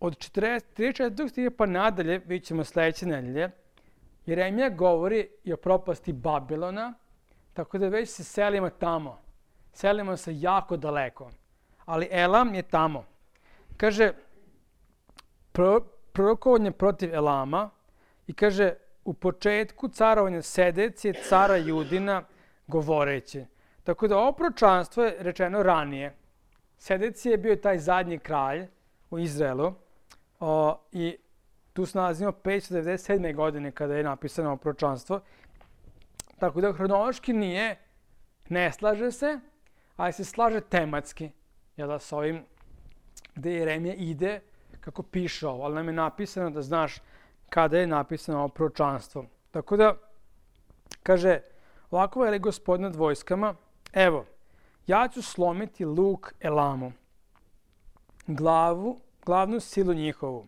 od 34. stiha pa nadalje, vidjet ćemo sledeće nedelje, Jeremija govori i o propasti Babilona, tako da već se selimo tamo. Selimo se jako daleko. Ali Elam je tamo. Kaže, prorokovanje protiv Elama i kaže, u početku carovanja Sedecije, cara Judina, govoreći. Tako da ovo proročanstvo je rečeno ranije. Sedecije je bio taj zadnji kralj u Izraelu i tu se nalazimo 597. godine kada je napisano ovo proročanstvo. Tako da hronološki ne slaže se, ali se slaže tematski. S ovim gde Jeremija ide kako piše ovo, ali nam je napisano da znaš kada je napisano ovo proročanstvo. Tako da, kaže, ovako veli Gospodin nad vojskama, evo, ja ću slomiti luk Elamu, glavnu silu njihovu,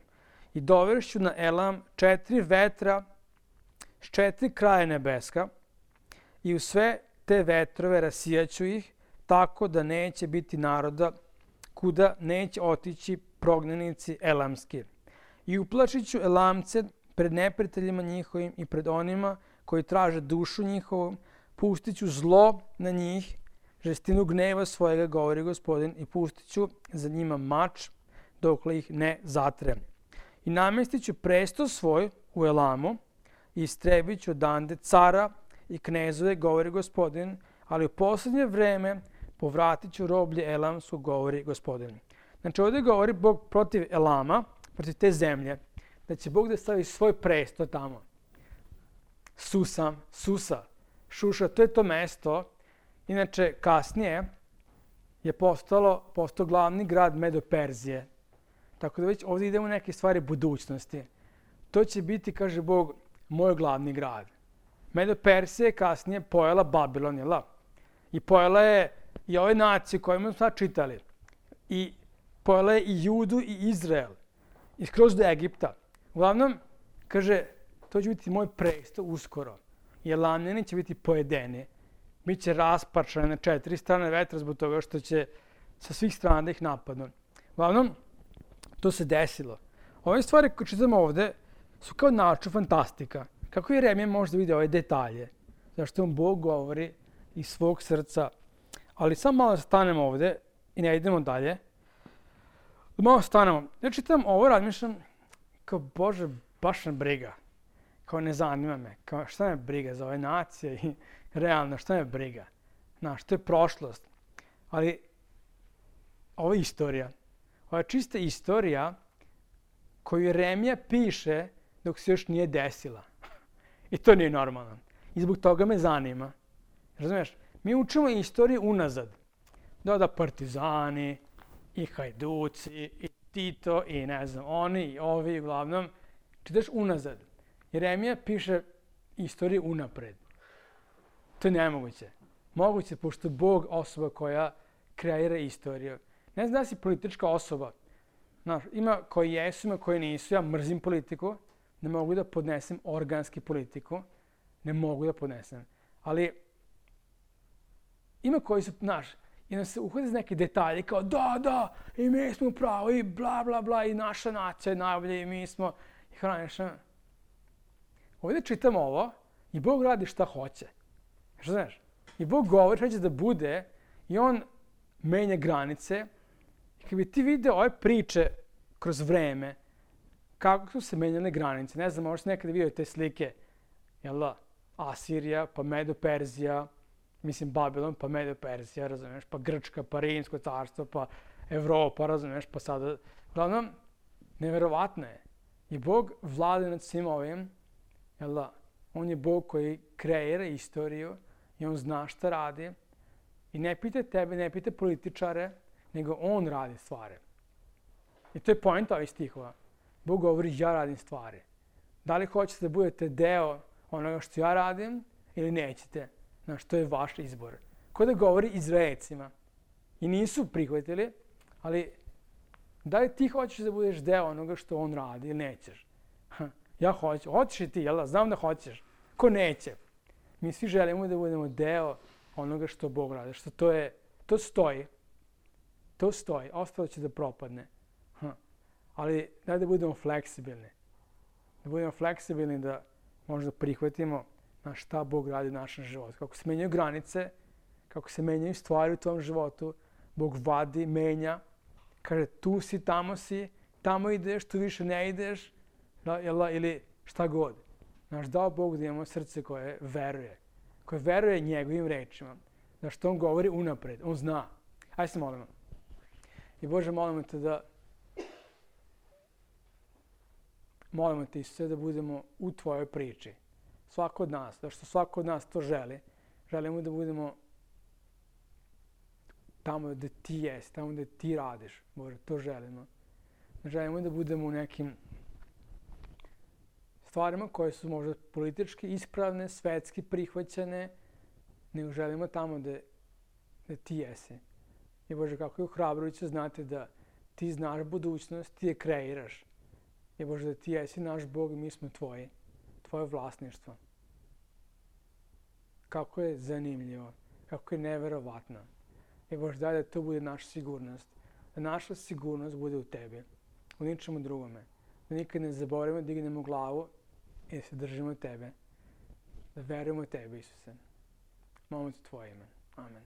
i dovešću na Elam 4 vetra s 4 kraja nebeska i u sve te vetrove rasijaću ih tako da neće biti naroda kuda neće otići prognanici elamski. I uplašit ću Elamce pred neprijateljima njihovim i pred onima koji traže dušu njihovu, pustit ću zlo na njih, žestinu gneva svojega, govori Gospodin, i pustit ću za njima mač dokle ih ne zatrem. I namestit ću presto svoj u Elamu i istrebit ću odande cara i knezove, govori Gospodin, ali u posljednje vreme povratit ću roblje Elamsko, govori Gospodin. Znači ovdje govori Bog protiv Elama, protiv te zemlje, da će Bog da stavi svoj presto tamo. Susa, Šuša, to je to mesto. Inače, kasnije je postao glavni grad Medo-Perzije. Tako da već ovdje idemo u neke stvari budućnosti. To će biti, kaže Bog, moj glavni grad. Medo-Persija je kasnije pojela Babilon, jel? I pojela je i ove nacije koje smo sad čitali. I pojela je i Judu i Izrael. I skroz do Egipta. Uglavnom, kaže, to će biti moj presto uskoro. I Elamljani će biti pojedeni. Biće rasparčani na 4 strane vetra zbog toga što će sa svih strana da ih napadnu. Uglavnom, to se desilo. Ove stvari koje čitamo ovde su kao naučna fantastika. Kako Jeremija može da vidi ove detalje? Zašto vam Bog govori iz svog srca. Ali samo malo stanemo ovde i ne idemo dalje. Malo stanemo. Ja čitam ovo, razmišljam kao Bože, baš me briga. Kao ne zanima me. Kao šta me briga za ove nacije i realno šta me briga. Znaš, to je prošlost. Ali ovo je istorija. Ovo je čista istorija koju Jeremija piše dok se još nije desila. I to nije normalno. I zbog toga me zanima. Razumiješ? Mi učimo istoriju unazad. Da partizani i hajduci i Tito i ne znam, oni i ovi uglavnom. Čitaš unazad. Jeremija piše istoriju unapred. To je nemoguće. Moguće, pošto Bog osoba koja kreira istoriju. Ne znam da si politička osoba. Znaš, ima koji jesu, ima koji nisu. Ja mrzim politiku. Ne mogu da podnesem organski politiku. Ne mogu da podnesem. Ali ima koji su, znaš, i nam se uhvati za neke detalje kao da, i mi smo pravo, i bla, bla, bla, i naša nacija je najbolja, i mi smo, i hraniš, ovdje čitamo ovo i Bog radi šta hoće. Što znaš? I Bog govori šta će da bude i on menja granice. I kad bi ti video ove priče kroz vreme, kako su se menjale granice, ne znam, možda si nekada vidio te slike, jel da, Asirija, pa Medo-Perzija, mislim Babilon, pa Medo-Perzija, razumiješ, pa Grčka, pa Rimsko carstvo, pa Evropa, razumiješ, pa sada, uglavnom, neverovatno je. I Bog vlada nad svim ovim, jel da, on je Bog koji kreira istoriju i on zna šta radi i ne pita tebe, ne pita političare, nego on radi stvari. I to je point ovih stihova. Bog govori, ja radim stvari. Da li hoćete da budete deo onoga što ja radim ili nećete? Znaš, to je vaš izbor. Ko da govori Izraelcima. I nisu prihvatili, ali da li ti hoćeš da budeš deo onoga što on radi ili nećeš? Ja hoću. Hoćeš i ti, jel da? Znam da hoćeš. Ko neće? Mi svi želimo da budemo deo onoga što Bog radi. Što to stoji. To stoji. Ostalo će da propadne. Ali daj da budemo fleksibilni. Da budemo fleksibilni da možda prihvatimo na šta Bog radi u našem životu. Kako se menjaju granice, kako se menjaju stvari u tom životu, Bog vadi, menja. Kaže, tu si, tamo ideš, tu više ne ideš, ili šta god. Znaš, dao Bog da imamo srce koje veruje njegovim rečima. Da što on govori unapred, on zna. Hajde se molimo. I Bože, molimo te molimo te, Isuse, da budemo u tvojoj priči. Svako od nas, da što svako od nas to želi. Želimo da budemo tamo gde ti jesi, tamo gde ti radiš. Bože, to želimo. Želimo da budemo u nekim stvarima koje su možda politički ispravne, svetski prihvaćene, nego želimo tamo gde ti jesi. I Bože, kako je ohrabrujuće znati da ti znaš budućnost, ti je kreiraš. I Bože, da ti jesi naš Bog i mi smo tvoje vlasništvo. Kako je zanimljivo, kako je neverovatno. I Bože, daj da to bude naša sigurnost. Da naša sigurnost bude u tebi, u ničemu drugome. Da nikad ne zaboravimo, da dignemo glavu i da se držimo tebe. Da verujemo tebi, Isuse. Molimo te tvoje ime. Amen.